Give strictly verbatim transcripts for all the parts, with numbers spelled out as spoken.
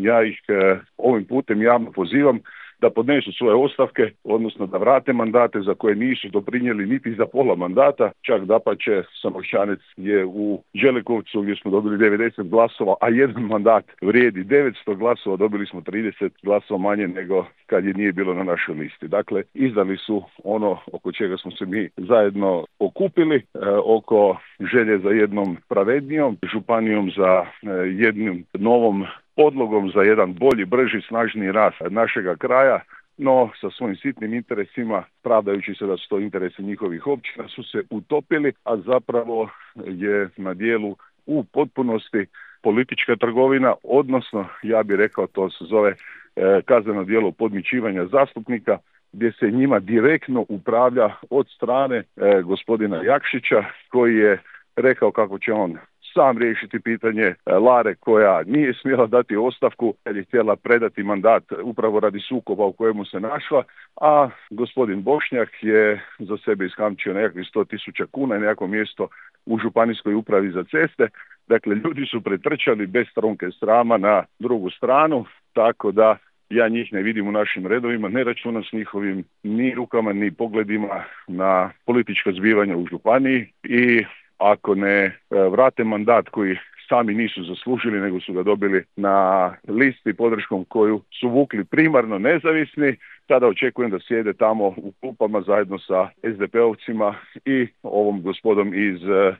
ja ih e, ovim putem javno pozivam da podnesu svoje ostavke, odnosno da vrate mandate za koje nisu doprinijeli niti za pola mandata, čak dapače Samošćanec je u Đelekovcu gdje smo dobili devedeset glasova, a jedan mandat vrijedi devetsto glasova, dobili smo trideset glasova manje nego kad je nije bilo na našoj listi. Dakle, izdali su ono oko čega smo se mi zajedno okupili, e, oko želje za jednom pravednijom županijom, za e, jednim novom podlogom za jedan bolji, brži, snažniji rast našega kraja, no sa svojim sitnim interesima, pravdajući se da su to interesi njihovih općina, su se utopili, a zapravo je na dijelu u potpunosti politička trgovina, odnosno, ja bih rekao, to se zove e, kazneno djelo podmićivanja zastupnika, gdje se njima direktno upravlja od strane e, gospodina Jakšića, koji je rekao kako će on sam riješiti pitanje Lare koja nije smjela dati ostavku jer je htjela predati mandat upravo radi sukoba u kojemu se našla, a gospodin Bošnjak je za sebe iskamčio nekakvih sto tisuća kuna i nekako mjesto u županijskoj upravi za ceste. Dakle, ljudi su pretrčali bez trunke srama na drugu stranu, tako da ja njih ne vidim u našim redovima, ne računam s njihovim ni rukama ni pogledima na politička zbivanja u županiji i ako ne vrate mandat koji sami nisu zaslužili, nego su ga dobili na listi podrškom koju su vukli primarno nezavisni, tada očekujem da sjede tamo u klupama zajedno sa es de pe ovcima i ovom gospodom iz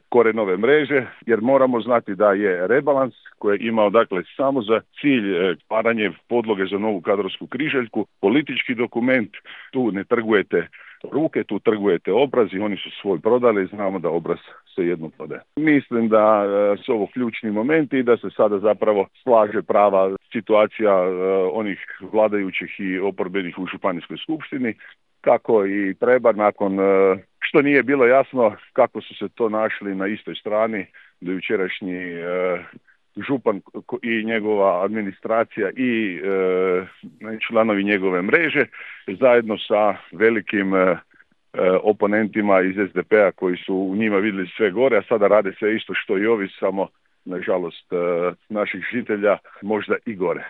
Korenove mreže, jer moramo znati da je rebalans koji je imao dakle samo za cilj stvaranje podloge za novu kadrovsku križaljku, politički dokument, tu ne trgujete ruke, tu trgujete obraz i oni su svoj prodali, znamo da obraz se jedno prodaje. Mislim da e, su ovo ključni momenti i da se sada zapravo slaže prava situacija e, onih vladajućih i oporbenih u županijskoj skupštini, kako i treba nakon e, što nije bilo jasno kako su se to našli na istoj strani do jučerašnji e, župan i njegova administracija i e, članovi njegove mreže zajedno sa velikim e, oponentima iz es de pe-a koji su u njima vidjeli sve gore, a sada rade sve isto što i ovi, samo nažalost e, naših žitelja možda i gore.